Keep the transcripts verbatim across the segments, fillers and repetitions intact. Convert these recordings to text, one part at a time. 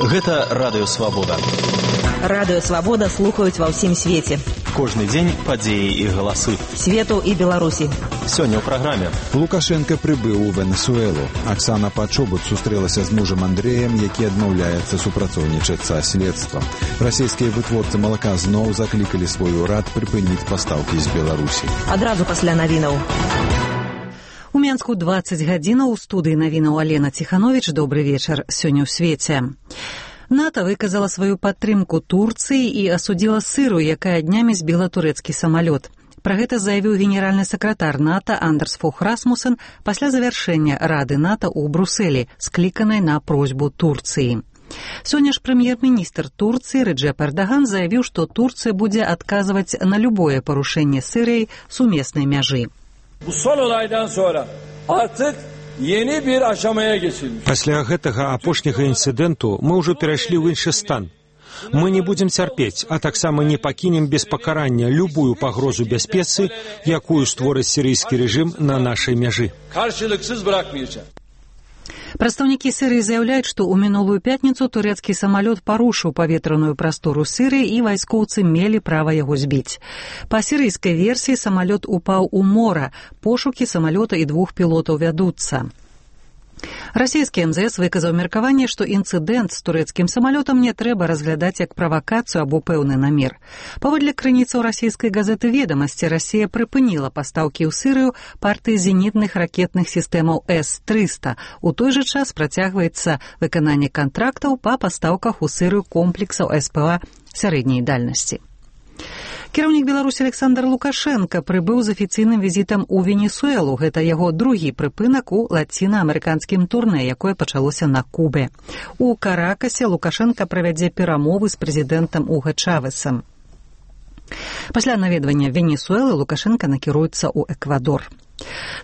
Гэта Радыё Свабода. Радыё Свабода слухаюць ва ўсім свеце. Кожны дзень падзеі і галасы. Свету і Беларусі. Сёння ў праграме. Лукашенко прыбыў у Венесуэлу. Аксана Пачобут сустрэлася з мужам Андрэем, які адмаўляецца супрацоўнічаць са следствам. Расійскія вытворцы малака зноў заклікалі свой урад прыпыніць пастаўкі з Беларусі. Адразу пасля навінаў. У Менску дваццаць гадзінаў, у студыі навінаў Алена Ціхановіч. Добры вечар. Сёння ў свеце. НАТО выказала сваю падтрымку Турцыі і асудзіла Сырыю, якая днямі збіла турэцкі самалёт. Пра гэта заявіў генеральны сакратар НАТО Андерс Фох Расмусен пасля завяршэння Рады НАТО ў Брусэлі, скліканай на просьбу Турцыі. Сёння ж прэм'ер-міністр Турцыі Реджеп Эрдоган заявіў, што Турцыя будзе адказваць на любое парушэнне Сырыяй сумеснай мяжы. Пасля гэтага апошняга інцыдэнту мы ўжо перайшлі ў іншы стан. Мы не будзем цярпець, а таксама не пакінем без пакарання любую пагрозу бяспецы, якую створыць сірыйскі рэжым на нашай мяжы. Прадстаўнікі Сырыі заяўляюць, што ў мінулую пятніцу турэцкі самалёт парушыў паветраную прастору Сырыі і вайскоўцы мелі права яго збіць. Па сірыйскай версіі самалёт упаў у мора, пошукі самалёта і двух пілотаў вядуцца. Расійскі эм зэ эс выказаў меркаванне, што інцыдэнт з турэцкім самалётам не трэба разглядаць як правакацыю або пэўны намер. Паводле крыніцаў расійскай газеты «Ведамасці», Расія прыпыніла пастаўкі ў Сырыю партыі зенітных ракетных сістэмаў эс трыста. У той жа час працягваецца выкананне кантрактаў па пастаўках у Сырыю комплексаў эс пэ а сярэдняй дальнасці. Кіраўнік Беларусі Александр Лукашенко прыбыў з афіцыйным візітам у Венесуэлу. Гэта яго другі прыпынак у лацінаамерыканскім турнэ, якое пачалося на Кубе. У Каракасе Лукашенко правядзе перамовы з прэзідэнтам Уга Чавесам. Пасля наведвання Венесуэлы Лукашенко накіруецца ў Эквадор.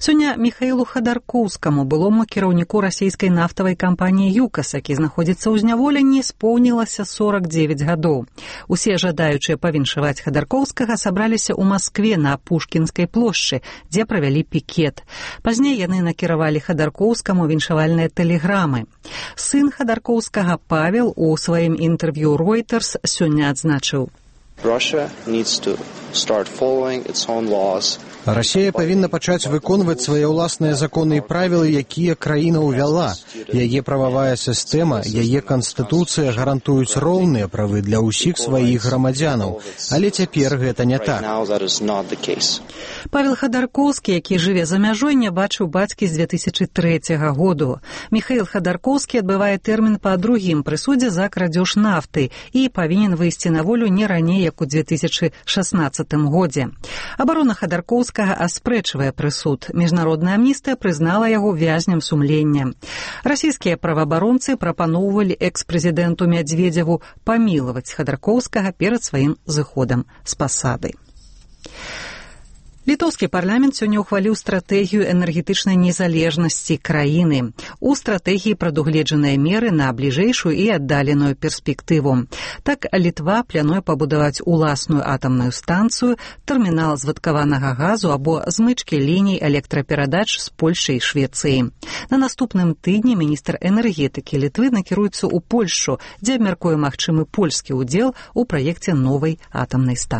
Сёння Міхаілу Хадаркоўскаму, былому кіраўніку расійскай нафтавай кампаніі «ЮКАС», які знаходзіцца ў зняволенні, споўнілася сорак дзевяць гадоў. Усе жадаючыя павіншаваць Хадаркоўскага сабраліся ў Маскве на Пушкінскай плошчы, дзе правялі пікет. Пазней яны накіравалі Хадаркоўскаму віншавальныя тэлеграмы. Сын Хадаркоўскага Павел у сваім інтэрв'ю Reuters сёння адзначыў: Russia needs to start following its own laws. Расія павінна пачаць выконваць свае ўласныя законы і правілы, якія краіна ўвяла. Яе прававая сістэма, яе канстытуцыя гарантуюць роўныя правы для ўсіх сваіх грамадзянаў. Але цяпер гэта не так. Павел Хадаркоўскі, які жыве за мяжой, не бачыў бацькі з дзве тысячы трэцяга году. Міхаіл Хадаркоўскі адбывае тэрмін па другім прысудзе за крадзеж нафты і павінен выйсці на волю не раней, як у дзве тысячы шаснаццатым годзе. Абарона Хадаркоўскага аспрэчвае прысуд. Міжнародная амністыя прызнала яго вязням сумлення. Расійскія праваабаронцы прапаноўвалі экс-прэзідэнту Мядзведзеву памілаваць Хадаркоўскага перад сваім зыходам з пасады. Літоўскі парламент сёння ўхваліў стратэгію энергетычнай незалежнасці краіны. У стратэгіі прадугледжаныя меры на бліжэйшую і аддаленую перспектыву. Так, Літва плануе пабудаваць уласную атамную станцыю, тэрмінал звадкаванага газу або змычкі ліній электраперадач з Польшай і Швецыі. На наступным тыдні міністр энергетыкі Літвы накіруецца ў Польшчу, дзе абмяркуе магчымы польскі ўдзел у праекце новай атамнай станцыі.